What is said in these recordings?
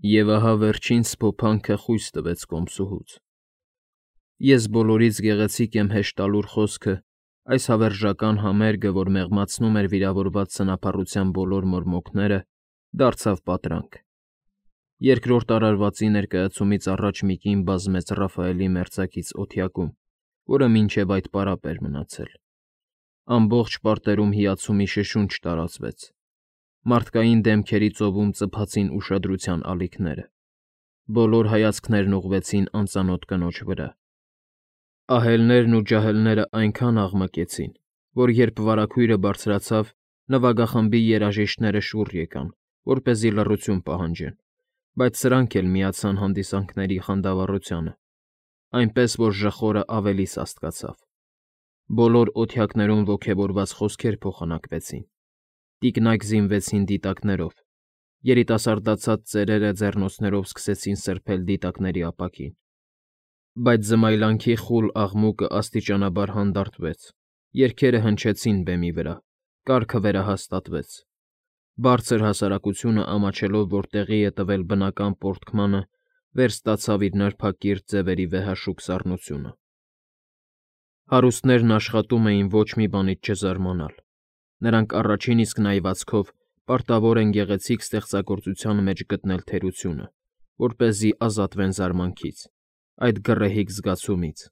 Եվ ահա վերջին սփոփանքը խույս տվեց կոմսուհուց. ես բոլորից գեղեցիկ եմ հեշտալուր խոսքը, այս հավերժական համերգը, որ մեղմացնում էր վիրավորված սնափառության բոլոր մորմոքները, դարձավ պատրանք։ Երկրորդ արարվածի ներկայացումից առաջ մի կին բազմեց Ռաֆայելի մերձակից օթյակում, որը մինչև այդ պարապ էր մնացել։ Ամբողջ պարտերում հիացումի շշունչ տարածվեց։ Մարդկային դեմքերի ծովում ծփացին ուշադրության ալիքները։ Բոլոր հայացքներն ուղղվեցին անծանոթ կնոջ վրա։ Ահելներն ու ջահելները այնքան աղմկեցին, որ երբ վարագույրը բարձրացավ, նվագախմբի երաժիշտները շուռ եկան, որպեսզի լռություն պահանջեն, բայց սրանք էլ միացան հանդիսանքների խանդավառությանը, այնպես որ ժխորը ավելի սաստկացավ։ Բոլոր օթյակներում ոգևորված խոսքեր փոխանակվեցին։ Տիկնայք զինվեցին դիտակներով, երիտասարդացած ծերերը ձեռնոցներով սկսեցին սրբել դիտակների ապակին։ Բայց զմայլանքի խուլ աղմուկը աստիճանաբար հանդարտվեց, երգերը հնչեցին բեմի վրա, կարգը վերահաստատվեց։ Բարձր հասարակությունը, ամաչելով, որ տեղի է տվել բնական պոռթկմանը, վերստացավ իր նրբակիրթ ձևերի վեհաշուկ սառնությունը։ Հարուստներն աշխատում էին ոչ մի բանից չզարմանալ։ Նրանք առաջին իսկ նայվածքով պարտավոր են գեղեցիկ ստեղծագործության մեջ գտնել թերությունը, որպեսզի ազատվեն զարմանքից, այդ գռեհիկ զգացումից։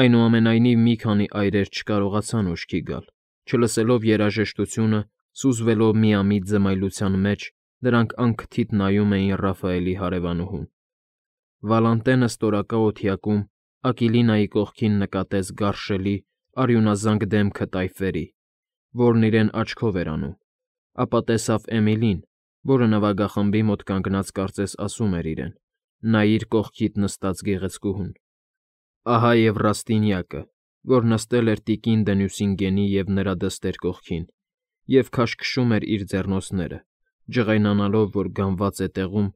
Այնուամենայնիվ մի քանի այրեր չկարողացան ուշքի գալ, չլսելով երաժշտությունը, սուզվելով միամիտ զմայլության մեջ, նրանք անքթիթ նայում էին Ռաֆայելի հարևանուհուն։ Վալանտենը ստորակա օթյակում Ակիլինայի կողքին նկատեց գարշելի, արյունազանգ դեմքը տայֆերի, որն իրեն աչքով էր անում, ապա տեսավ Էմիլին, որը նվագախմբի մոտ կանգնած կարծես ասում էր իրեն. «Նայիր կողքիդ նստած գեղեցկուհուն»։ Ահա և Ռաստինյակը, որ նստել էր տիկին Դենյուսինգենի և նրա դստեր կողքին, և քաշքշում էր իր ձեռնոցները, ջղայնանալով, որ գանված է տեղում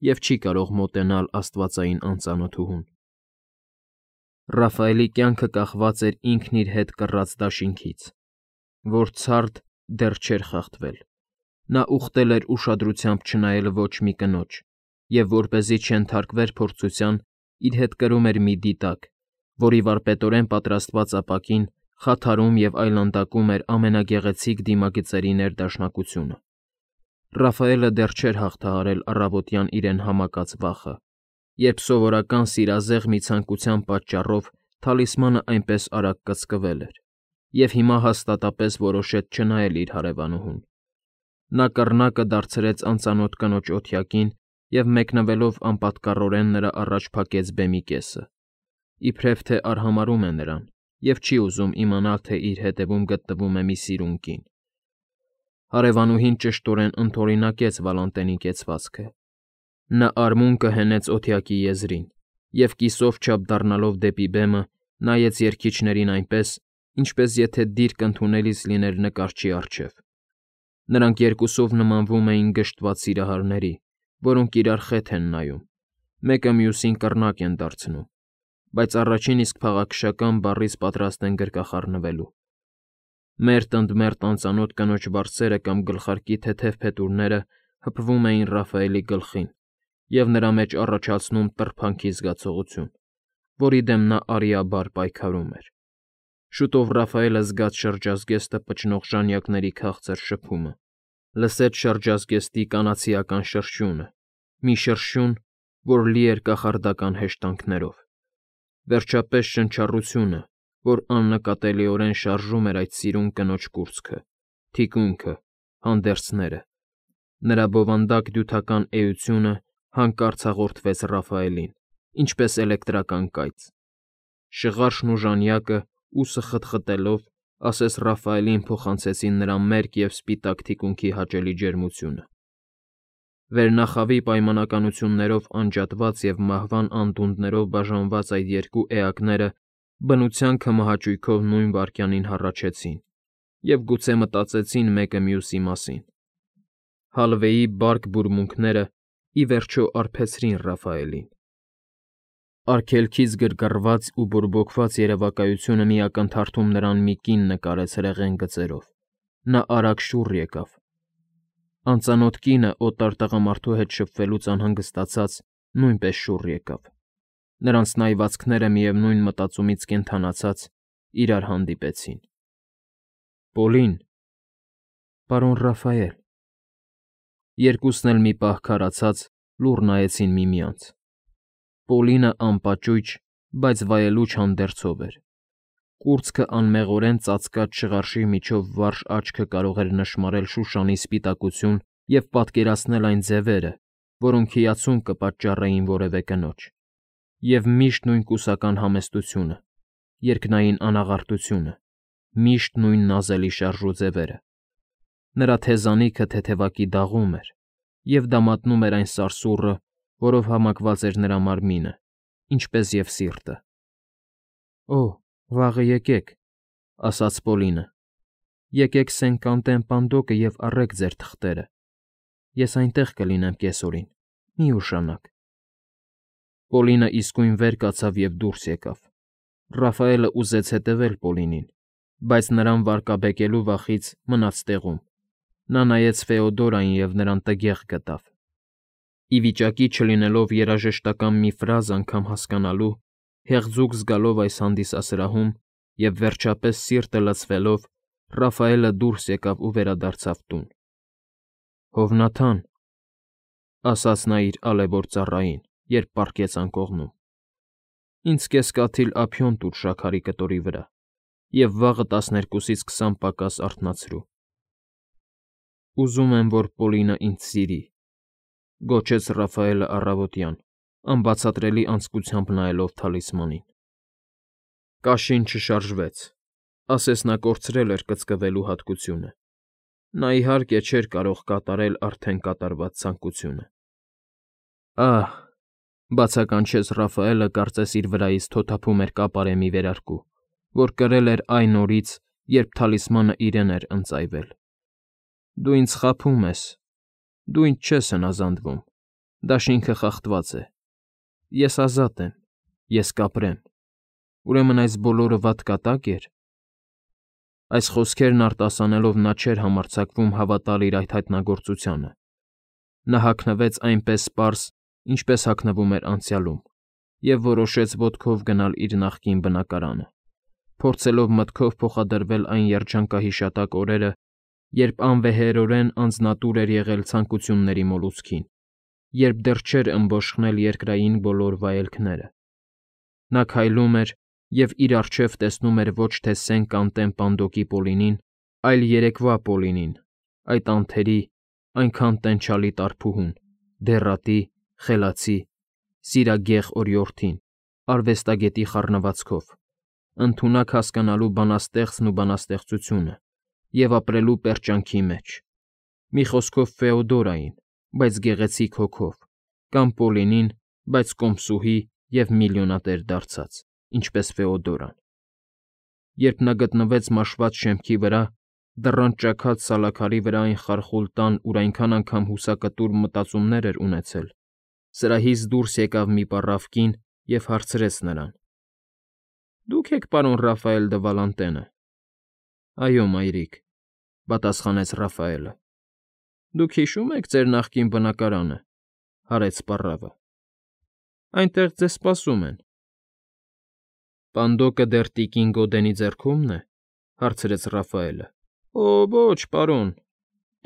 և չի կարող մոտենալ աստվածային անծանոթուհուն։ Ռաֆայելի կյանքը կախված էր ինքն իր հետ կռած դաշինքից, որ ցարդ դեռ չէր խախտվել։ Նա ուխտել էր ուշադրությամբ չնայել ոչ մի կնոջ, և որպեսզի չենթարկվեր փորձության, իր հետ կրում էր մի դիտակ, որի վարպետորեն պատրաստված ապակին խաթարում և այլանդակում էր ամենագեղեցիկ դիմագծերի ներդաշնակությունը։ Ռաֆայելը դեռ չէր հաղթահարել առավոտյան իրեն համակած վախը, երբ սովորական սիրազեղ մի ցանկության պատճառով թալիսմանը այնպես արագ կծկվել էր, և հիմա հաստատապես որոշեց չնայել իր հարևանուհուն։ Նա կռնակը դարձրեց անծանոթ կնոջ օթյակին և մեկնվելով անպատկառորեն նրա առաջ փակեց բեմի կեսը, իբրև թե արհամարհում է նրան և չի ուզում իմանալ, թե իր հետևում գտնվում է մի սիրուն կին։ Հարևանուհին ճշտորեն ընդօրինակեց Վալանտենի կեցվածքը։ Նա արմունկը հենեց օթյակի եզրին և կիսով չափ դառնալով դեպի բեմը, նայեց երգիչներին այնպես, ինչպես եթե դիրք ընդունելիս լիներ նկարչի առջև։ Նրանք երկուսով նմանվում էին գժտված սիրահարների, որոնք իրար խեթ են նայում, մեկը մյուսին կռնակ են դարձնում, բայց առաջին իսկ փաղաքշական բառից պատրաստ են գրկախառնվելու։ Մերթ ընդ մերթ անծանոթ կնոջ վարձերը կամ գլխարկի թեթև փետուրները հպվում էին Ռաֆայելի գլխին և նրա մեջ առաջացնում տրփանքի զգացողություն, որի դեմ նա արիաբար պայքարում էր։ Շուտով Ռաֆայելը զգաց շրջազգեստը պչնող ժանյակների քաղցր շփումը, լսեց շրջազգեստի կանացիական շրշյունը, մի շրշյուն, որ լի էր կախարդական հեշտանքներով, վերջապես շնչառությունը, որ աննկատելիորեն շարժում էր այդ սիրուն կնոջ կուրծքը, թիկունքը, հանդերձները։ Նրա բովանդակ դյութական էությունը հանկարծ հաղորդվեց Ռաֆայելին, ինչպես էլեկտրական կայծ։ Շղարշն ու ժանյակը, ուսը խտխտելով, ասես Ռաֆայելին փոխանցեցին նրա մերկ և սպիտակ թիկունքի հաճելի ջերմությունը։ Վերնախավի պայմանականություններով անջատված և մահվան անդունդներով բաժանված այդ երկու էակները բնության քմահաճույքով նույն վայրկյանին հառաչեցին և գուցե մտածեցին մեկը մյուսի մասին։ Հալվեի բարկ բուրմունքները, ի վերջո, արբեցրին Ռաֆայելին։ Արգելքից գրգռված ու բորբոքված երևակայությունը մի ակնթարթում նրան մի կին նկարեց հրեղեն գծերով։ Նա արագ շուռ եկավ։ Անծանոթ կինը օտար տղամարդու հետ շփվելուց անհանգստացած նույնպես շուռ եկավ։ Նրանց նայվածքները միևնույն մտածումից կենդանացած իրար հանդիպեցին։ Պոլին, պարոն Ռաֆայել։ Երկուսն էլ մի պահ քարացած լուռ նայեցին միմյանց։ Պոլինը անպաճույճ, բայց վայելուչ հանդերձով էր։ Կուրծքը անմեղորեն ծածկած շղարշի միջով վարժ աչքը կարող էր նշմարել Շուշանի սպիտակություն և պատկերացնել այն ձևերը, որոնք հիացում կպատճառեին որևէ կնոջ, և միշտ նույն կուսական համեստությունը, երկնային անաղարտությունը, միշտ նույն նազելի շարժուձևերը։ Նրա թեզանիքը թեթևակի դաղում էր, և դա մատնում էր այն սարսուռը, որով համակված էր նրա մարմինը, ինչպես և սիրտը։ «Օ, վաղը եկեք», ֊ ասաց Պոլինը։ «Եկեք Սեն֊Կանտեն պանդոկը և առեք ձեր թղթերը։ Ես այնտեղ կլինեմ կեսօրին, մի ուշանաք»։ Պոլինը իսկույն վեր կացավ և դուրս եկավ։ Ռաֆայելը ուզեց հետևել Պոլինին, բայց նրան վարկաբեկելու վախից մնաց տեղում։ Նա նայեց Ֆեոդորային և նրան տգեղ գտավ։ Ի վիճակի չլինելով երաժշտական մի ֆրազ անգամ հասկանալու, հեղձուկ զգալով այս հանդիսասրահում և, վերջապես, սիրտը լցվելով, Ռաֆայելը դուրս եկավ ու վերադարձավ տուն։ «Հովնաթան», ֊ ասաց նա իր ալևոր ծառային, երբ պառկեց անկողնում, ֊ ինձ կես կաթիլ ափիոն տուր շաքարի կտորի վրա և վաղը 12-ից 20 պակաս արթնացրու։ «Ուզում եմ, որ Պոլինը ինձ սիրի», ֊ գոչեց Ռաֆայելը առավոտյան, անբացատրելի անձկությամբ նայելով թալիսմանին։ Կաշին չշարժվեց, ասես նա կորցրել էր կծկվելու հատկությունը։ Նա, իհարկե, չէր կարող կատարել արդեն կատարված ցանկությունը։ «Ահ», ֊ բացականչեց Ռաֆայելը, կարծես իր վրայից թոթափում էր կապարեմի վերարկու, որ կրել էր այն օրից, երբ թալիսմանը իրեն էր ընծայվել։ «Դու ինձ խաբում ես։ Դու ինձ չես հնազանդվում։ Դաշինքը խախտված է։ Ես ազատ եմ։ Ես կապրեմ։ Ուրեմն այս բոլորը վատ կատակ էր»։ Այս խոսքերն արտասանելով նա չէր համարձակվում հավատալ իր այդ հայտնագործությանը։ Նա հագնվեց այնպես պարզ, ինչպես հագնվում էր անցյալում, և որոշեց ոտքով գնալ իր նախկին բնակարանը, փորձելով մտքով փոխադրվել այն երջանկահիշատակ օրերը, երբ անվեհերորեն անձնատուր էր եղել ցանկությունների մոլուցքին, երբ դեռ չէր ըմբոշխնել երկրային բոլոր վայելքները։ Նա քայլում էր և իր առջև տեսնում էր ոչ թե Սեն֊Կանտեն պանդոկի Պոլինին, այլ երեկվա Պոլինին, այդ անթերի, այնքան տենչալի տարփուհուն, դեռատի, խելացի, սիրագեղ օրիորդին, արվեստագետի խառնվածքով, ընդունակ հասկանալու բանաստեղծն ու բանաստեղծությունը և ապրելու պերճանքի մեջ, մի խոսքով Ֆեոդորային, բայց գեղեցիկ հոգով, կամ Պոլինին, բայց կոմսուհի և միլիոնատեր դարձած, ինչպես Ֆեոդորան։ Երբ նա գտնվեց մաշված շեմքի վրա, դռան ճաքած սալաքարի վրա այն խարխուլ տան, ուր այնքան անգամ հուսակտուր մտածումներ էր ունեցել, սրահից դուրս եկավ մի պառավ կին և հարցրեց նրան. «Դուք եք պարոն Ռաֆայել դը Վալանտենը»։ «Այո, մայրիկ», ֊ պատասխանեց Ռաֆայելը։ «Դուք հիշո՞ւմ եք ձեր նախկին բնակարանը», ֊ հարեց պառավը։ «Այնտեղ ձեզ սպասում են»։ «Պանդոկը դեռ տիկին Գոդենի ձեռքո՞ւմն է», ֊ հարցրեց Ռաֆայելը։ «Օ, ոչ, պարոն,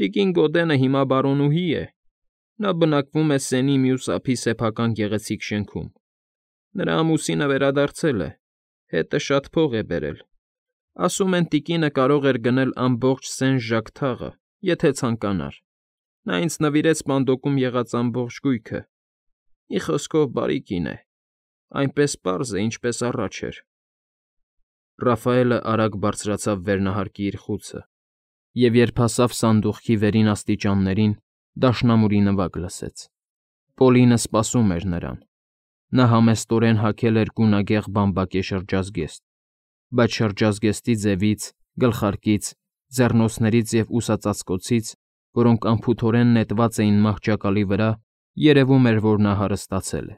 տիկին Գոդենը հիմա բարոնուհի է։ Նա բնակվում է Սենի մյուս ափի սեփական գեղեցիկ շենքում։ Նրա ամուսինը վերադարձել է, հետը շատ փող է բերել։ Ասում են տիկինը կարող էր գնել ամբողջ Սեն֊Ժակ թաղը, եթե ցանկանար։ Նա ինձ նվիրեց պանդոկում եղած ամբողջ գույքը։ Մի խոսքով, բարի կին է, այնպես պարզ է, ինչպես առաջ էր»։ Ռաֆայելը արագ բարձրացավ վերնահարկի իր խուցը, և երբ հասավ սանդուղքի վերին աստիճաններին, դաշնամուրի նվագ լսեց։ Պոլինը սպասում էր նրան։ Նա համեստորեն հագել էր գունագեղ բամբակե շրջազգեստ, բայց շրջազգեստի ձևից, գլխարկից, ձեռնոցներից և ուսածածկոցից, որոնք անփութորեն նետված էին մահճակալի վրա, երևում էր, որ նա հարստացել է։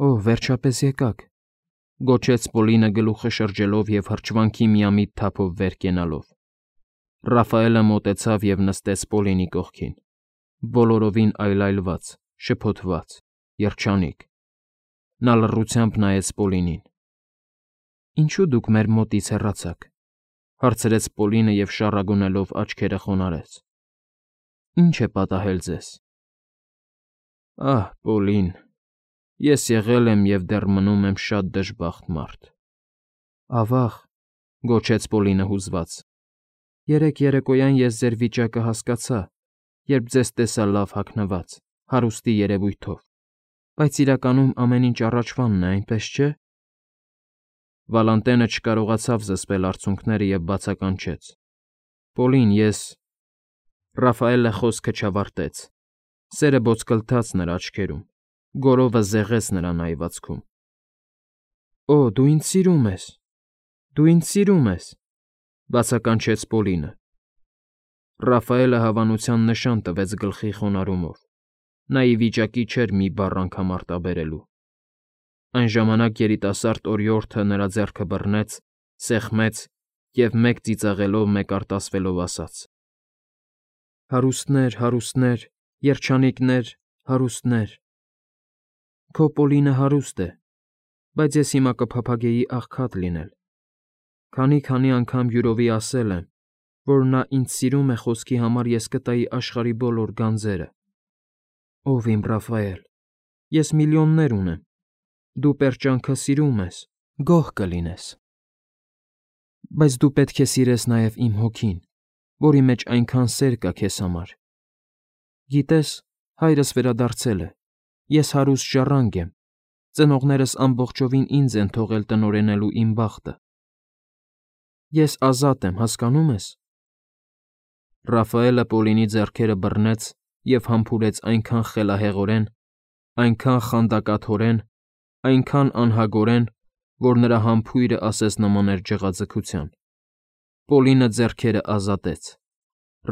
«Օ, վերջապես եկաք», ֊ գոչեց Պոլինը գլուխը շրջելով և հրճվանքի միամիտ թափով վեր կենալով։ Ռաֆայելը մոտեցավ և նստեց Պոլինի կողքին, բոլորովին այլայլված, շփոթված, երջանիկ։ Նա լռությամբ նայեց Պոլինին։ «Ինչու դուք մեր մոտից հեռացաք,֊ հարցրեց Պոլինը և շառագունելով աչքերը խոնարհեց։ Ինչ է պատահել ձեզ»։ «Ահ, Պոլին, ես եղել եմ և դեռ մնում եմ շատ դժբախտ մարդ»։ «Ավա՜ղ,֊ գոչեց Պոլինը հուզված։ Երեկ երեկոյան ես ձեր վիճակը հասկացա, երբ ձեզ տեսա լավ հագնված, հարուստի երևույթով, բայց իրականում ամեն ինչ առաջվանն է, այնպես չէ՞։ Վալանտենը չկարողացավ զսպել արցունքները և բացականչեց. «Պոլին, ես…»։ Ռաֆայելը խոսքը չավարտեց։ Սերը բոցկլթաց նրա աչքերում, գորովը զեղեց նրա նայվածքում։ «Օ, դու ինձ սիրում ես, դու ինձ սիրում ես,֊ բացականչեց Պոլինը։ Ռաֆայելը հավանության նշան տվեց գլխի խոնարհումով։ Նա ի վիճակի չէր մի բառ անգամ արտաբերելու։ Այն ժամանակ երիտասարդ օրիորդը նրա ձեռքը բռնեց, սեղմեց և մեկ ծիծաղելով, մեկ արտասվելով ասաց. «Հարուստներ, հարուստներ, երջանիկներ, հարուստներ… Քո Պոլինը հարուստ է, բայց ես հիմա կփափագեի աղքատ լինել։ Քանի անգամ յուրովի ասել եմ, որ նա ինձ սիրում է խոսքի համար ես կտայի աշխարհի բոլոր գանձերը։ Ով իմ Ռաֆայել, ես միլիոններ ունեմ, դու պերճանքը սիրում ես, գոհ կլինես։ Բայց դու պետք է սիրես նաև իմ հոգին, որի մեջ այնքան սեր կա քեզ համար։ Գիտես, հայրս վերադարձել է, ես հարուստ ժառանգ եմ, ծնողներս ամբողջովին ինձ են թողել տնօրենելու իմ բախտը։ Ես ազատ եմ, հասկանո՞ւմ ես։ Ռաֆայելը Պոլինի ձեռքերը բռնեց և համբուրեց այնքան խելահեղորեն, այնքան խանդակաթորեն, այնքան անհագորեն, որ նրա համբույրը ասես նման էր ջղաձգության։ Պոլինը ձեռքերը ազատեց,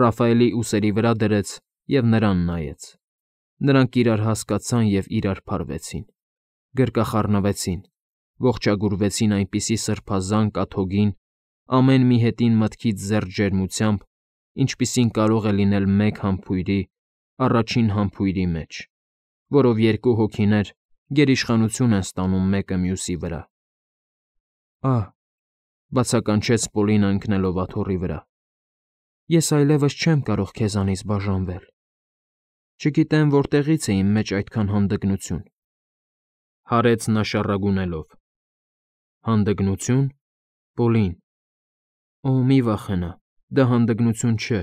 Ռաֆայելի ուսերի վրա դրեց և նրան նայեց։ Նրանք իրար հասկացան և իրար փարվեցին, գրկախառնվեցին, ողջագուրվեցին այնպիսի սրբազան կաթոգին, ամեն մի հետին մտքից զերծ ջերմությամբ, ինչպիսին կարող է լինել մեկ համբույրի, առաջին համբույրի մեջ, որով երկու հոգիներ գերիշխանություն են ստանում մեկը մյուսի վրա։ Ահ,֊ բացականչեց Պոլինը ընկնելով աթոռի վրա,֊ ես այլևս չեմ կարող քեզանից բաժանվել։ Չգիտեմ որտեղից է իմ մեջ այդքան հանդգնություն,֊ հարեց նա շառագունելով։ Հանդգնությո՞ւն, Պոլին։ Օ, մի վախենա, դա հանդգնություն չէ,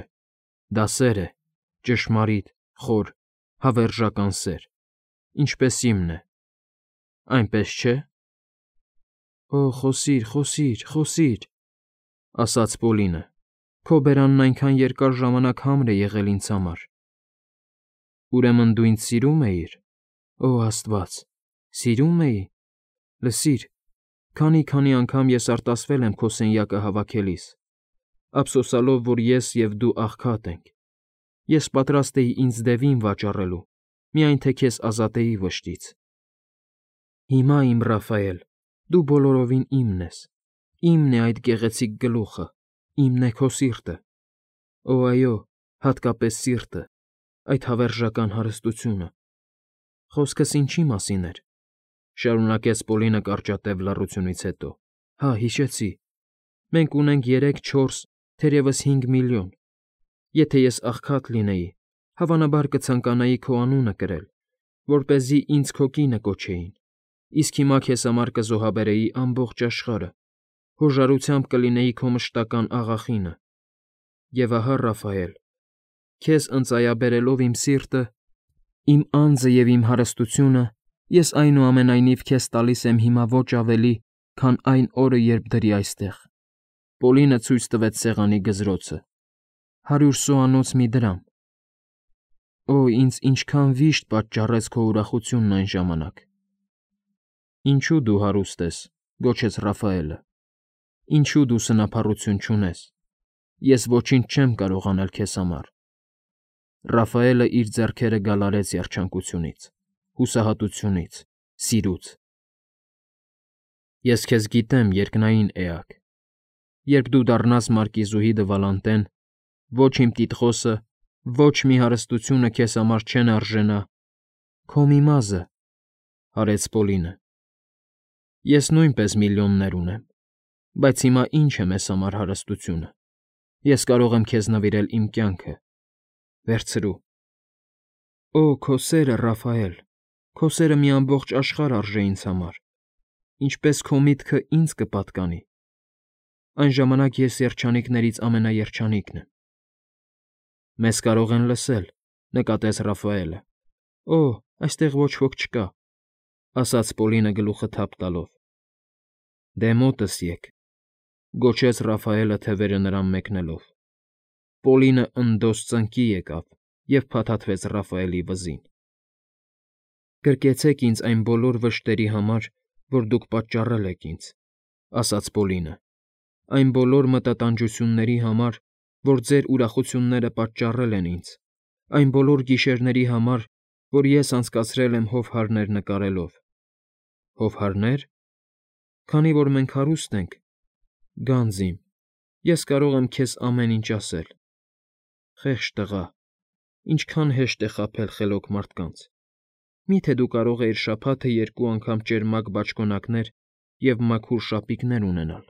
դա սեր է, ճշմարիտ, խոր, հավերժական սեր, ինչպես իմն է։ Այնպես չէ՞։ Օ, խոսիր, խոսիր, խոսիր,֊ ասաց Պոլինը, քո բերանն այնքան երկար ժամանակ համր է եղել ինձ համար։ Ուրեմն դու ինձ սիրում էիր։ Օ, Աստված, սիրում էի։ Լսիր, քանի անգամ ես արտասվել եմ քո սենյակը հավաքելիս, ափսոսալով, որ ես և դու աղքատ ենք։ Ես պատրաստ էի ինձ դևին վաճառելու, միայն թե քեզ ազատեի վշտից։ Հիմա, իմ Ռաֆայել, դու բոլորովին իմն ես, իմն է այդ գեղեցիկ գլուխը, իմն է քո սիրտը։ Օ, այո, հատկապես սիրտը, այդ հավերժական հարստությունը։ Խոսքս ինչի մասին էր,֊ շարունակեց Պոլինը կարճատև լռությունից հետո։ Հա, հիշեցի։ Մենք ունենք 3, 4, թերևս 5 միլիոն։ Եթե ես աղքատ լինեի, հավանաբար կցանկանայի քո անունը կրել, որպեսզի ինձ քո կինը կոչեին, իսկ հիմա քեզ համար կզոհաբերեի ամբողջ աշխարհը, հոժարությամբ կլինեի քո մշտական աղախինը։ Եվ ահա, Ռաֆայել, քեզ ընծայաբերելով իմ սիրտը, իմ անձը և իմ հարստությունը, ես այնուամենայնիվ քեզ տալիս եմ հիմա ոչ ավելի, քան այն օրը, երբ դրի այստեղ։ Պոլինը ցույց տվեց սեղանի գզրոցը։ 100 սուանոց մի դրամ։ Օ, ինձ ինչքան վիշտ պատճառեց քո ուրախությունն այն ժամանակ։ Ինչու դու հարուստ ես,֊ գոչեց Ռաֆայելը։ Ինչու դու սնափառություն չունես։ Ես ոչինչ չեմ կարող անել քեզ համար։ Ռաֆայելը իր ձեռքերը գալարեց երջանկությունից, հուսահատությունից, սիրուց։ Ես քեզ գիտեմ, երկնային էակ։ Երբ դու դառնաս Մարկիզուհի դը Վալանտեն, Ոչ իմ տիտղոսը, ոչ մի հարստությունը քեզ համար չեն արժենա։ Քո մի մազը, հարեց Պոլինը։ Ես նույնպես միլիոններ ունեմ, բայց հիմա ինչ է մեզ համար հարստությունը։ Ես կարող եմ քեզ նվիրել իմ կյանքը։ Վերցրու։ Օ, քո սերը, Ռաֆայել, քո սերը մի ամբողջ աշխարհ արժե ինձ համար, ինչպես քո միտքը ինձ կպատկանի։ Այն ժամանակ ես երջանիկներից ամենաերջանիկն եմ։ Մեզ կարող են լսել, նկատեց Ռաֆայելը։ Օ, այստեղ ոչ ոք չկա, ասաց Պոլինը գլուխը թափ տալով։ Դե մոտս եկ, գոչեց Ռաֆայելը թևերը նրան մեկնելով։ Պոլինը ընդոս ծնկի եկավ և փաթաթվեց Ռաֆայելի վզին։ Գրկեցեք ինձ այն բոլոր վշտերի համար, որ դուք պատճառել եք ինձ, ասաց Պոլինը, այն բոլոր մտատանջությունների համար, որ ձեր ուրախությունները պատճառել են ինձ, այն բոլոր գիշերների համար, որ ես անցկացրել եմ հովհարներ նկարելով։ Հովհարնե՞ր։ Քանի որ մենք հարուստ ենք, գանձ իմ, ես կարող եմ քեզ ամեն ինչ ասել։ Խեղճ տղա, ինչքան հեշտ է խաբել խելոք մարդկանց։ Մի՞թե դու կարող էիր շաբաթը 2 անգամ ճերմակ բաճկոնակներ և մաքուր շապիկներ ունենալ,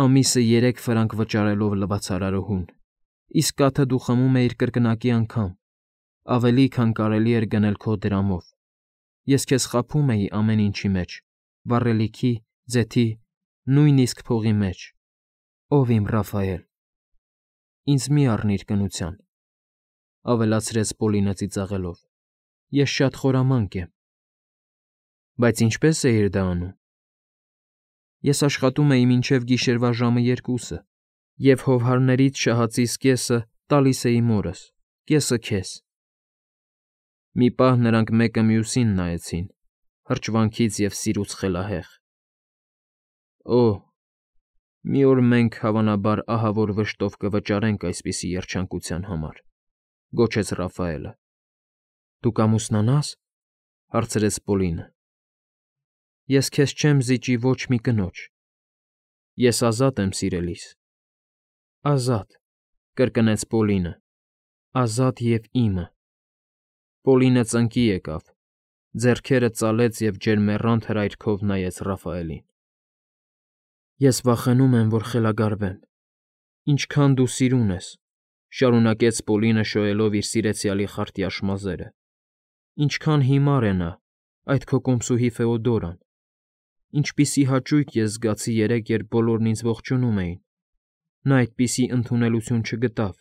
ամիսը 3 ֆրանկ վճարելով լվացարարուհուն, իսկ կաթը դու խմում էիր կրկնակի անգամ, ավելի, քան կարելի էր գնել քո դրամով։ Ես քեզ խաբում էի ամեն ինչի մեջ, վառելիքի, ձեթի, նույնիսկ փողի մեջ։ Ով իմ Ռաֆայել։ Ինձ մի առնիր կնության, ավելացրեց Պոլինը ծիծաղելով։ Ես շատ խորամանկ եմ։ Բայց ինչպես էիր դա անում։ Ես աշխատում էի մինչև գիշերվա ժամը 2 և հովհարներից շահածիս կեսը տալիս էի մորս, կեսը քեզ։ Մի պահ նրանք մեկը մյուսին նայեցին, հրճվանքից և սիրուց խելահեղ։ Օ, մի օր մենք, հավանաբար, ահավոր վշտով կվճարենք այսպիսի երջանկության համար, գոչեց Ռաֆայելը։ Դու կամուսնանա՞ս, հարցրեց Պոլինը։ Ես քեզ չեմ զիջի ոչ մի կնոջ։ Ես ազատ եմ, սիրելիս։ Ազատ, կրկնեց Պոլինը, ազատ և իմը։ Պոլինը ծնկի եկավ, ձեռքերը ծալեց և ջերմեռանդ հրայրքով նայեց Ռաֆայելին։ Ես վախենում եմ, որ խելագարվեմ։ Ինչքան դու սիրուն ես, շարունակեց Պոլինը շոյելով իր սիրեցյալի խարտյաշ մազերը։ Ինչքան հիմար է նա, այդ քո կոմսուհի Ֆեոդորան։ Ինչպիսի հաճույք ես զգացի երեկ, երբ բոլորն ինձ ողջունում էին։ Նա այդպիսի ընդունելություն չգտավ։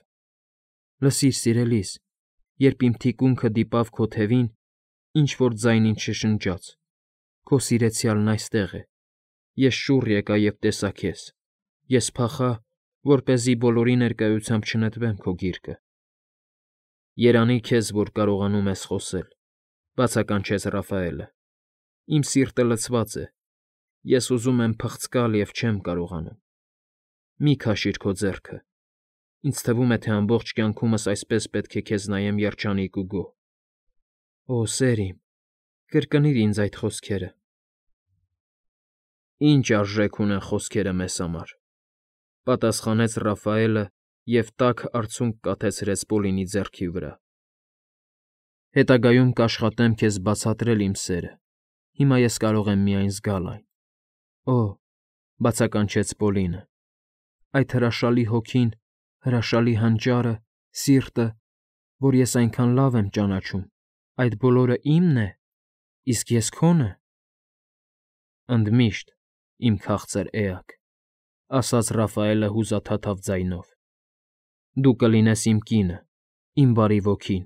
Լսիր, սիրելիս, երբ իմ թիկունքը դիպավ քո թևին, ինչ֊որ ձայն ինձ շշնջաց. Քո սիրեցյալն այստեղ է։ Ես շուռ եկա և տեսա քեզ։ Ես փախա, որպեսզի բոլորի ներկայությամբ չնետվեմ քո գիրկը։ Երանի քեզ, որ կարողանում ես խոսել, բացականչեց Ռաֆայելը։ Իմ սիրտը լցված է։ Ես ուզում եմ փղծկալ և չեմ կարողանում։ Մի քաշիր քո ձեռքը։ Ինձ թվում է, թե ամբողջ կյանքումս այսպես պետք է քեզ նայեմ երջանիկ ու գոհ։ Օ, սեր իմ, կրկնիր ինձ այդ խոսքերը։ Ինչ արժեք ունեն խոսքերը մեզ համար, պատասխանեց Ռաֆայելը և տաք արցունք կաթեցրեց Պոլինի ձեռքի վրա։ Հետագայում կաշխատեմ քեզ բացատրել իմ սերը։ Հիմա ես կարող եմ միայն զգալ այն։ Օ, բացականչեց Պոլինը, այդ հրաշալի հոգին, հրաշալի հանճարը, սիրտը, որ ես այնքան լավ եմ ճանաչում, այդ բոլորը իմն է, իսկ ես քոնը։ Ընդմիշտ, իմ քաղցր էակ, ասաց Ռաֆայելը հուզաթաթավ ձայնով։ Դու կլինես իմ կինը, իմ բարի ոգին։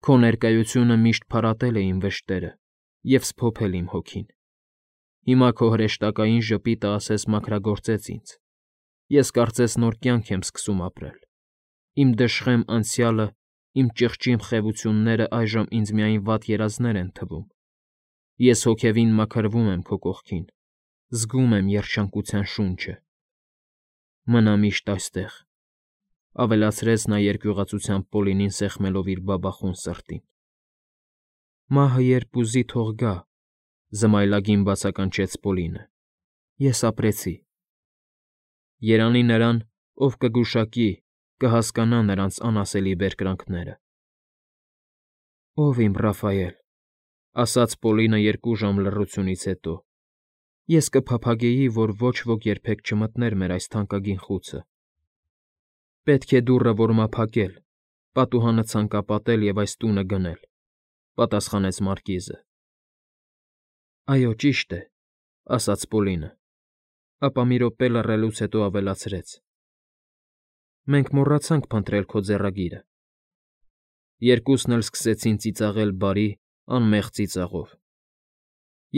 Քո ներկայությունը միշտ փարատել է իմ վշտերը և սփոփել իմ հոգին։ Հիմա քո հրեշտակային ժպիտը ասես մաքրագործեց ինձ։ Ես կարծես նոր կյանք եմ սկսում ապրել։ Իմ դժխեմ անցյալը, իմ ճիղճիմ խեղությունները այժմ ինձ միայն վատ երազներ են թվում։ Ես հոգևին մաքրվում եմ քո կողքին, զգում եմ երջանկության շունչը։ Մնա միշտ այստեղ, ավելացրեց նա երկյուղածությամբ Պոլինին սեղմելով իր բաբախուն սրտին։ Մահը երբ ուզի թող գա, զմայլագին բացականչեց Պոլինը։ Ես ապրեցի։ Երանի նրան, ով կգուշակի, կհասկանա նրանց անասելի բերկրանքները։ «Ով իմ Ռաֆայել», ասաց Պոլինը 2 ժամ լռությունից հետո, «ես կփափագեի, որ ոչ ոք երբեք չմտներ մեր այս թանկագին խուցը»։ «Պետք է դուռը որմափակել, պատուհանը ցանկապատել և այս տունը գնել», պատասխանեց մարկիզը։ «Այո, ճիշտ է», ասաց Պոլինը, ապա մի րոպե լռելուց հետո ավելացրեց. «Մենք մոռացանք փնտրել քո ձեռագիրը»։ Երկուսն էլ սկսեցին ծիծաղել բարի, անմեղ ծիծաղով։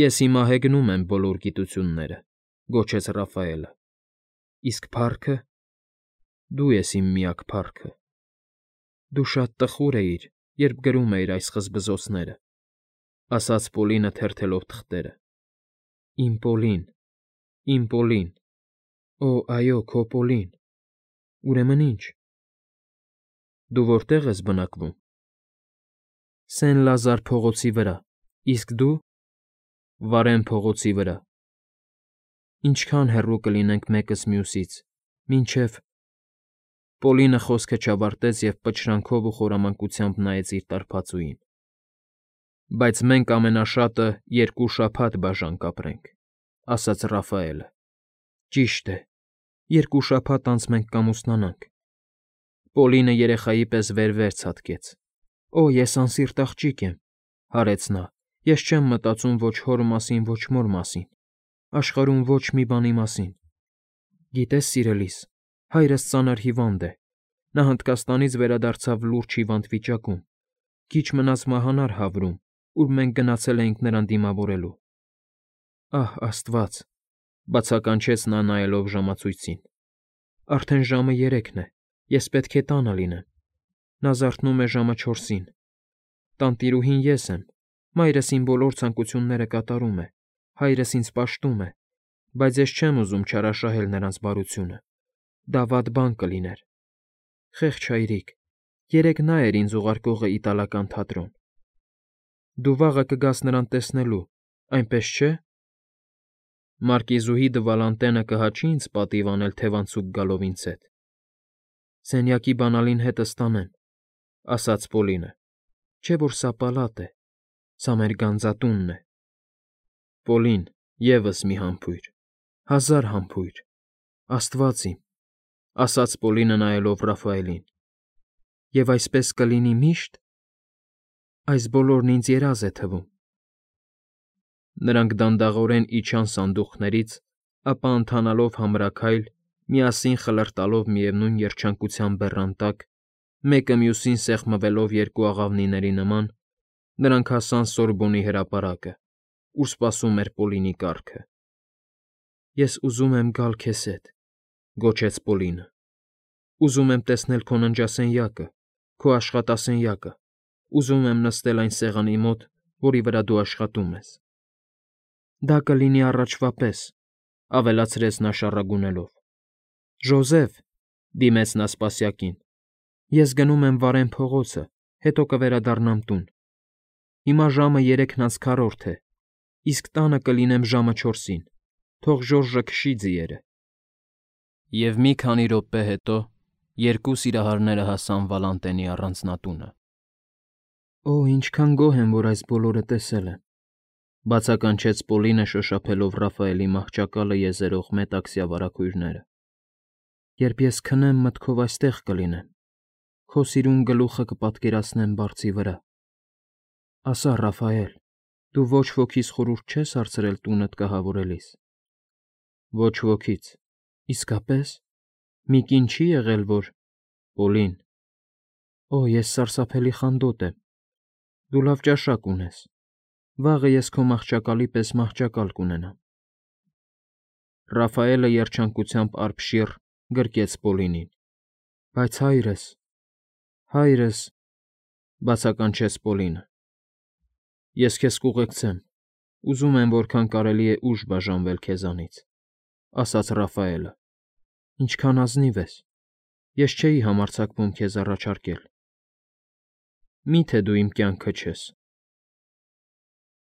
«Ես հիմա հեգնում եմ բոլոր գիտությունները», գոչեց Ռաֆայելը։ «Իսկ փառքը»։ «Դու ես իմ միակ փառքը»։ «Դու շատ տխուր էիր, երբ գրում էիր այս խզբզոցները», ասաց Պոլինը թերթելով թղթերը։ «Իմ Պոլին, իմ Պոլին, օ, այո, քո Պոլին։ Ուրեմն ի՞նչ»։ «Դու որտե՞ղ ես բնակվում»։ «Սեն֊Լազար փողոցի վրա, իսկ դու»։ «Վարեն փողոցի վրա»։ «Ինչքան հեռու կլինենք մեկս մյուսից, մինչև»։ Պոլինը խոսքը չավարտեց և պչրանքով ու խորամանկությամբ նայեց իր տարբածուին։ «Բայց մենք ամենաշատը 2 շաբաթ բաժան կապրենք», ասաց Ռաֆայելը։ «Ճիշտ է, 2 շաբաթ անց մենք կամուսնանանք»։ Պոլինը երեխայի պես վեր ցատկեց։ «Օ, ես անսիրտ աղջիկ եմ», հարեց նա։ «Ես չեմ մտածում ոչ հոր մասին, ոչ մոր մասին, աշխարհում ոչ մի բանի մասին։ Գիտես, սիրելիս, հայրս ծանր հիվանդ է։ Նա Հնդկաստանից վերադարձավ լուրջ հիվանդ վիճակում։ Քիչ մնաց մահանար Հավրում, ուր մենք գնացել էինք նրան դիմավորելու»։ «Ահ, Աստված», բացականչեց նա նայելով ժամացույցին։ «Արդեն ժամը 3-ն է, ես պետք է տանը լինեմ։ Նա զարթնում է ժամը 4-ին։ Տանտիրուհին ես եմ, մայրս իմ բոլոր ցանկությունները կատարում է, հայրս ինձ պաշտում է, բայց ես չեմ ուզում չարաշահել նրանց բարությունը։ Դա վատ բան կլիներ։ Խեղճ հայրիկ, երեկ նա էր ինձ ուղարկողը իտալական թատրոն։ Դու վաղը կգաս նրան տեսնելու, այնպես չէ՞։ Մարկիզուհի Դվալանտենը կհաճի՞ ինձ պատիվ անել թևանցուկ գալով ինձ հետ։ «Սենյակի բանալին հետս տանեմ», ասաց Պոլինը։ «Չէ՞ որ սա պալատ է, սա մեր գանձատունն է»։ «Պոլին, ևս մի համբույր»։ «1000 համբույր, Աստված իմ», ասաց Պոլինը նայելով Ռաֆայելին։ «Եվ այսպես կլինի միշտ»։ «Այս բոլորն ինձ երազ է թվում»։ Նրանք դանդաղորեն իջան սանդուղքներից, ապա ընթանալով համրաքայլ, միասին խլրտալով միևնույն երջանկության բեռան տակ, մեկը մյուսին սեղմվելով 2 աղավնիների նման, նրանք հասան Սորբոնի հրապարակը, ուր սպասում էր Պոլինի կառքը։ «Ես ուզում եմ գալ քեզ հետ», գոչեց Պոլինը։ «Ուզում եմ տեսնել քո ննջասենյակը, քո աշխատասենյակը, ուզում եմ նստել այն սեղանի մոտ, որի վրա դու աշխատում ես»։ «Դա կլինի առաջվա պես», ավելացրեց նա շառագունելով։ «Ժոզեֆ», դիմեց նա սպասյակին, «ես գնում եմ Վարեն փողոցը, հետո կվերադառնամ տուն։ Հիմա ժամը 3:4 է, իսկ տանը կլինեմ ժամը 4-ին։ Թող Ժորժը քշի ձիերը»։ Եվ մի քանի րոպե հետո 2 սիրահարները հասան Վալանտենի առանձնատունը։ «Օ, ինչքան գոհ եմ, որ այս բոլորը տեսել եմ», բացականչեց Պոլինը շոշափելով Ռաֆայելի մահճակալը եզերող մետաքսյա վարագույրները։ «Երբ ես քնեմ, մտքով այստեղ կլինեմ, քո սիրուն գլուխը կպատկերացնեմ բարձի վրա։ Ասա, Ռաֆայել, դու ոչ ոքիս խորհուրդ չես հարցրել տունդ կահավորելիս»։ «Ոչ ոքից»։ «Իսկապես։ Մի կին չի եղել, որ»։ «Պոլին»։ «Օ, ես սարսափելի խանդոտ եմ։ Դու լավ ճաշակ ունես։ Վաղը ես քո մահճակալի պես մահճակալ կունենամ»։ Ռաֆայելը երջանկությամբ արբշիռ գրկեց Պոլինին։ «Բայց հայրս, հայրս», բացականչեց Պոլինը։ «Ես քեզ կուղեկցեմ։ Ուզում եմ որքան կարելի է ուշ բաժանվել քեզանից», ասաց Ռաֆայելը։ «Ինչքան ազնիվ ես։ Ես չէի համարձակվում քեզ առաջարկել»։ «Մի՞թե դու իմ կյանքը չես»։